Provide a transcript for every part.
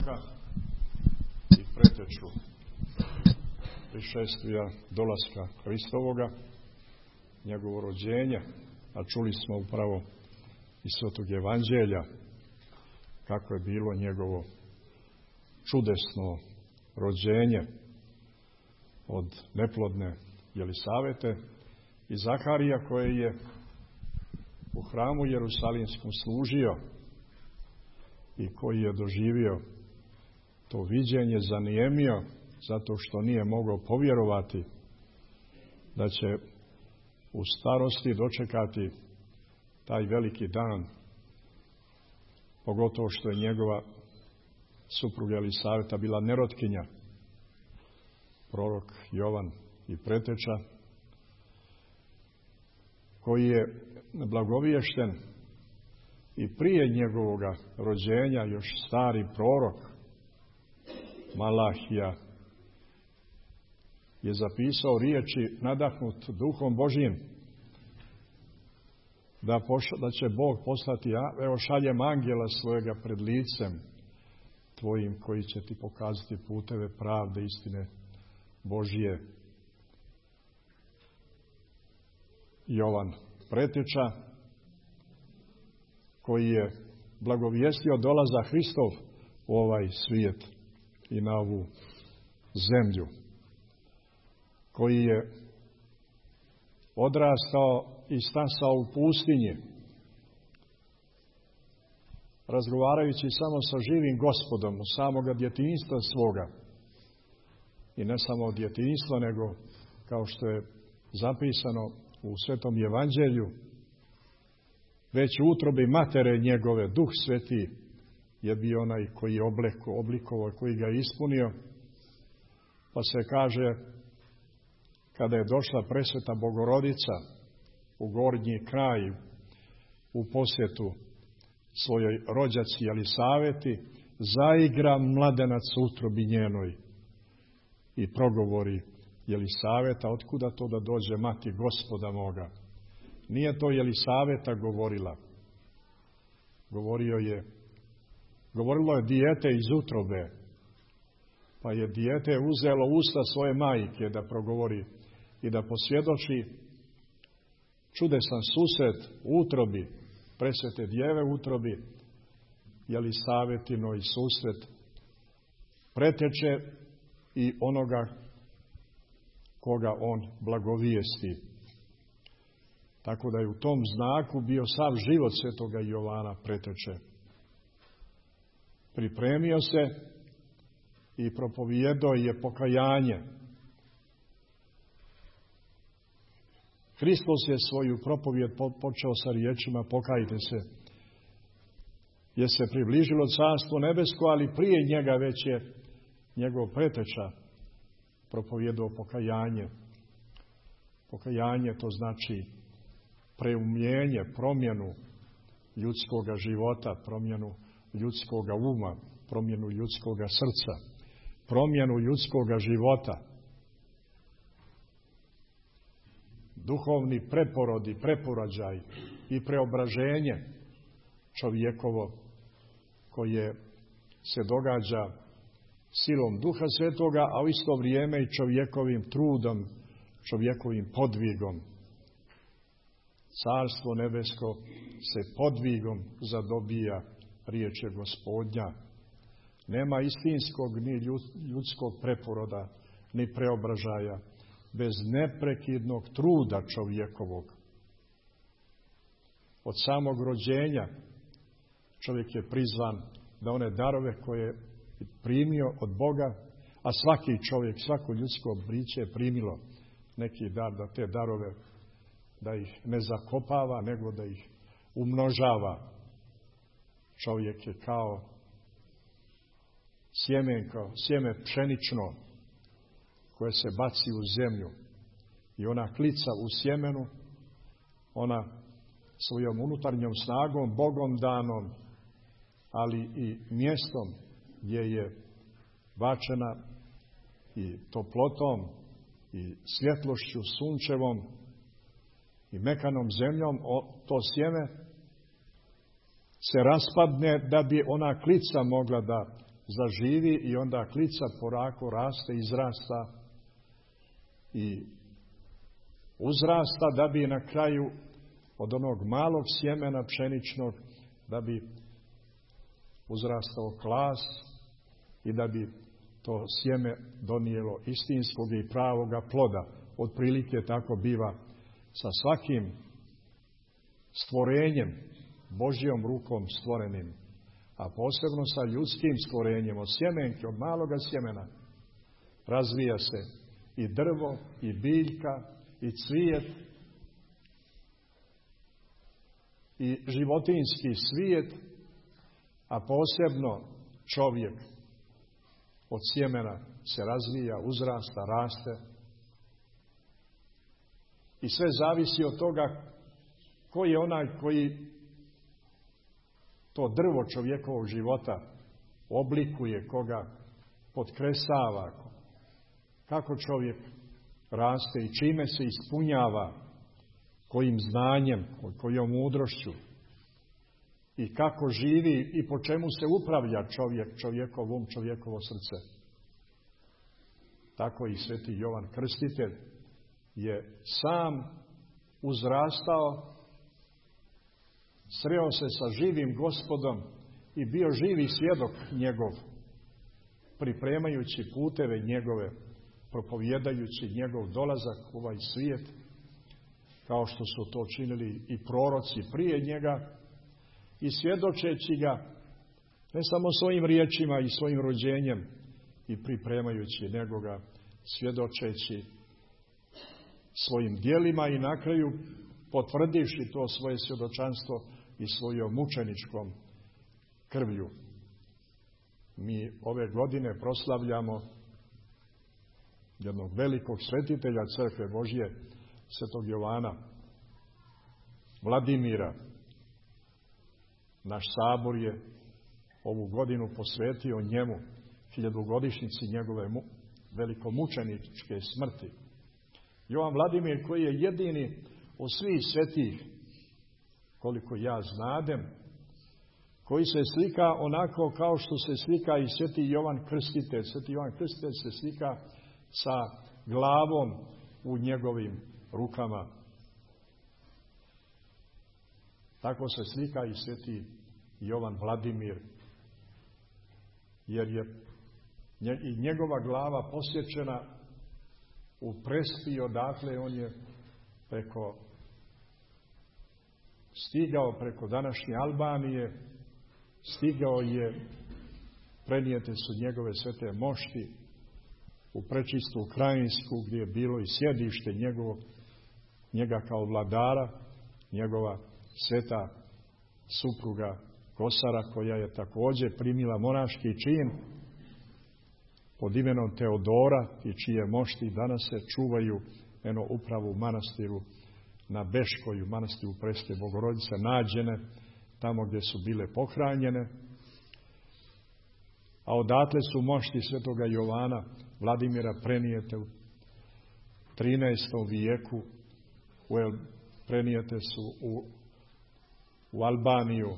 proroka i preteču prišestvija dolaska Hristovoga, njegovo rođenje, a čuli smo upravo iz Svetog Evanđelja kako je bilo njegovo čudesno rođenje od neplodne Jelisavete i Zaharija, koji je u hramu Jerusalimskom služio i koji je doživio to viđenje, zanijemio zato što nije mogao povjerovati da će u starosti dočekati taj veliki dan, pogotovo što je njegova supruga Jelisaveta bila nerotkinja, prorok Jovan i preteča, koji je blagoviješten i prije njegovoga rođenja, još stari prorok Malahija je zapisao riječi nadahnut Duhom Božjim da će Bog poslati, evo šaljem angela svojega pred licem tvojim koji će ti pokazati puteve pravde, istine Božje. Jovan preteča, koji je blagovijestio dolazak Hristov u ovaj svijet i na ovu zemlju, koji je odrastao i stasao u pustinji, razgovarajući samo sa živim Gospodom od samoga djetinjstva svoga. I ne samo od djetinjstva, nego kao što je zapisano u Svetom Evanđelju, već u utrobi matere njegove Duh Sveti je bio onaj koji je oblikovao, koji ga je ispunio. Pa se kaže, kada je došla presveta Bogorodica u gornji kraj u posjetu svojoj rođaci Jelisaveti, zaigra mladenac u utrobi njenoj i progovori Jelisaveta, otkuda to da dođe mati Gospoda moga? Nije to Jelisaveta govorila. Govorilo je dijete iz utrobe, pa je dijete uzelo usta svoje majke da progovori i da posvjedoči čudesan susret u utrobi, presvete djeve u utrobi, Jelisavetinoj susret preteče i onoga koga on blagovijesti. Tako da je u tom znaku bio sav život svetoga Jovana preteče. Pripremio se i propovijedao je pokajanje. Hristos je svoju propovijed počeo sa riječima pokajte se, jer se približilo carstvo nebesko, ali prije njega već je njegov preteča propovijedao pokajanje. Pokajanje to znači preumljenje, promjenu ljudskoga života, promjenu ljudskoga uma, promjenu ljudskoga srca, promjenu ljudskoga života. Duhovni preporod i preporođaj i preobraženje čovjekovo koje se događa silom Duha Svetoga, a u isto vrijeme i čovjekovim trudom, čovjekovim podvigom. Carstvo nebesko se podvigom zadobija, riječ je Gospodnja. Nema istinskog ni ljudskog preporoda, ni preobražaja bez neprekidnog truda čovjekovog. Od samog rođenja čovjek je prizvan da one darove koje je primio od Boga, a svaki čovjek, svako ljudsko biće je primilo neki dar, da te darove, da ih ne zakopava, nego da ih umnožava. Čovjek je kao sjeme pšenično koje se baci u zemlju i ona klica u sjemenu, ona svojom unutarnjom snagom, Bogom danom, ali i mjestom gdje je bačena i toplotom i svjetlošću sunčevom i mekanom zemljom, to sjeme se raspadne da bi ona klica mogla da zaživi i onda klica porako raste, izrasta i uzrasta da bi na kraju od onog malog sjemena pšeničnog da bi uzrastao klas i da bi to sjeme donijelo istinskog i pravoga ploda. Otprilike tako biva sa svakim stvorenjem, Božjom rukom stvorenim, a posebno sa ljudskim stvorenjem, od sjemenke, od maloga sjemena, razvija se i drvo, i biljka, i cvijet, i životinjski svijet, a posebno čovjek od sjemena se razvija, uzrasta, raste. I sve zavisi od toga ko je onaj koji to drvo čovjekovog života oblikuje, koga potkresava, kako čovjek raste i čime se ispunjava, kojim znanjem, kojom mudrošću i kako živi i po čemu se upravlja čovjek, čovjekov um, čovjekovo srce. Tako i sveti Jovan Krstitelj je sam uzrastao, sreo se sa živim Gospodom i bio živi svjedok njegov, pripremajući puteve njegove, propovjedajući njegov dolazak u ovaj svijet, kao što su to činili i proroci prije njega, i svjedočeći ga ne samo svojim riječima i svojim rođenjem i pripremajući, nego ga svjedočeći svojim djelima i na kraju potvrdivši to svoje svjedočanstvo i svojom mučeničkom krvlju. Mi ove godine proslavljamo jednog velikog svetitelja Crkve Božje, svetog Jovana Vladimira. Naš sabor je ovu godinu posvetio njemu, 1000-godišnjici njegove velikomučeničke smrti. Jovan Vladimir, koji je jedini od svih svetih, koliko ja znadem, koji se slika onako kao što se slika i sveti Jovan Krstitelj. Sveti Jovan Krstitelj se slika sa glavom u njegovim rukama. Tako se slika i sveti Jovan Vladimir, jer je i njegova glava posječena u Prespi, odakle on je stigao preko današnje Albanije, stigao je, prenijete su njegove svete mošti u prečistu Krajinsku, gdje je bilo i sjedište njega kao vladara, njegova sveta supruga Kosara, koja je također primila monaški čin pod imenom Teodora i čije mošti danas se čuvaju upravo u manastiru na Beškoju, manastiru Preske Bogorodice, nađene tamo gdje su bile pohranjene. A odatle su mošti svetoga Jovana Vladimira prenijete u 13. vijeku, prenijete su u Albaniju,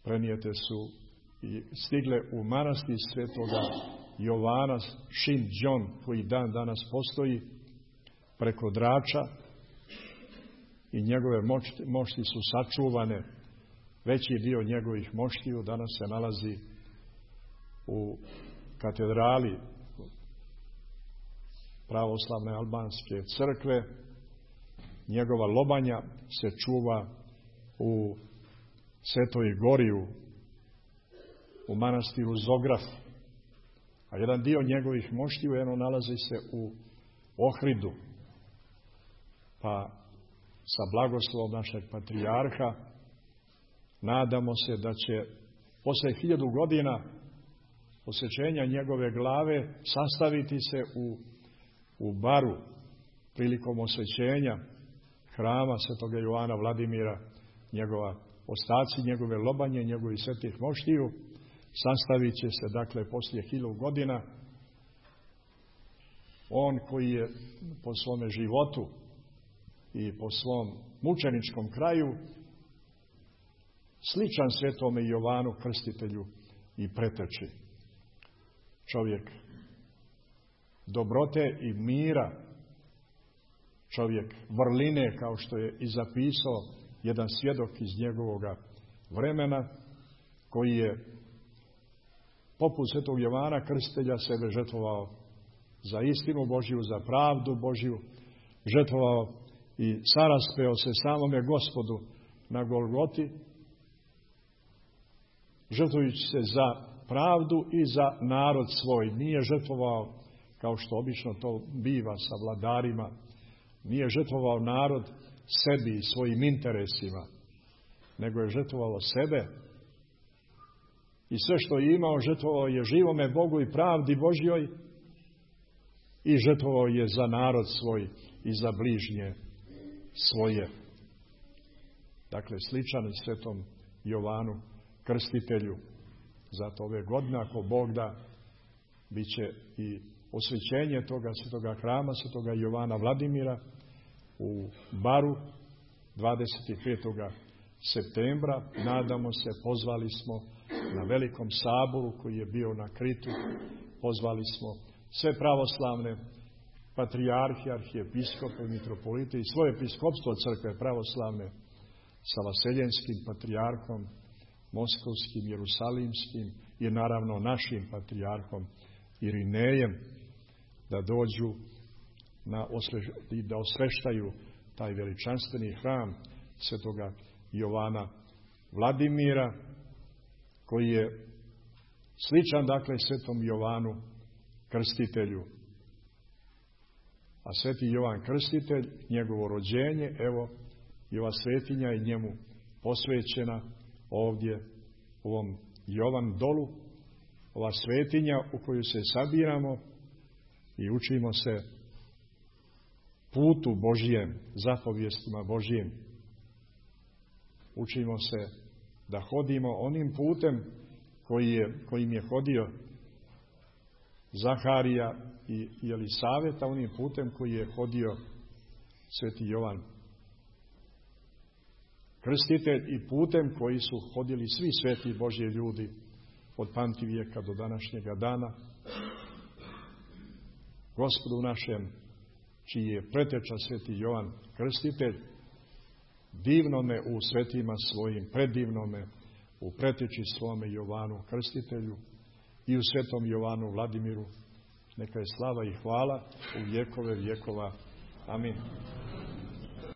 prenijete su i stigle u manastir svetoga Jovana Šindžon, koji dan danas postoji preko Drača, i njegove mošti su sačuvane. Veći dio njegovih moštiju danas se nalazi u katedrali pravoslavne albanske crkve. Njegova lobanja se čuva u Svetoj Gori, u manastiru Zograf, a jedan dio njegovih moštiju nalazi se u Ohridu. Pa sa blagoslovom našeg patrijarha nadamo se da će posle 1000 godina posjećenja njegove glave sastaviti se u Baru prilikom osvećenja hrama svetoga Jovana Vladimira, ostaci njegove lobanje, njegovih svetih moštiju, sastavit će se dakle poslije 1000 godina. On koji je po svome životu i po svom mučeničkom kraju sličan svetome Jovanu Krstitelju, i preteči. Čovjek dobrote i mira, čovjek vrline, kao što je i zapisao jedan svjedok iz njegovoga vremena, koji je poput svetog Jovana Krstitelja sebe žrtvovao za istinu Božju, za pravdu Božju, žrtvovao i saraspeo se samome Gospodu na Golgoti, žrtvujući se za pravdu i za narod svoj. Nije žrtvovao, kao što obično to biva sa vladarima, nije žrtvovao narod sebi i svojim interesima, nego je žrtvovao sebe i sve što je imao žrtvovao je živome Bogu i pravdi Božjoj i žrtvovao je za narod svoj i za bližnje svoje. Dakle, sličan svetom Jovanu Krstitelju. Zato ove godine, ako Bog da, bit će i osvećenje toga svetoga hrama, svetoga Jovana Vladimira u Baru 25. septembra. Nadamo se, pozvali smo na velikom saboru koji je bio na Kritu, pozvali smo sve pravoslavne patrijarhe, arhijepiskope, mitropolite i svoje episkopstvo crkve pravoslavne sa vaseljenskim patrijarhom, moskovskim, jerusalimskim i naravno našim patrijarhom Irinejem, da dođu i da osveštaju taj veličanstveni hram svetoga Jovana Vladimira, koji je sličan, dakle, svetom Jovanu Krstitelju. A sveti Jovan Krstitelj, njegovo rođenje, evo, i ova svetinja je njemu posvećena ovdje u ovom Jovan dolu, ova svetinja u koju se sabiramo i učimo se putu Božjem, zapovijestima Božjim. Učimo se da hodimo onim putem kojim je hodio Zaharija i Jelisaveta, onim putem koji je hodio sveti Jovan Krstitelj i putem koji su hodili svi sveti Božji ljudi od pamtivijeka do današnjega dana. Gospodu našem, čiji je preteča sveti Jovan Krstitelj, divnome u svetima svojim, predivnome u preteči svome Jovanu Krstitelju i u svetom Jovanu Vladimiru, neka je slava i hvala u vjekove vjekova. Amin.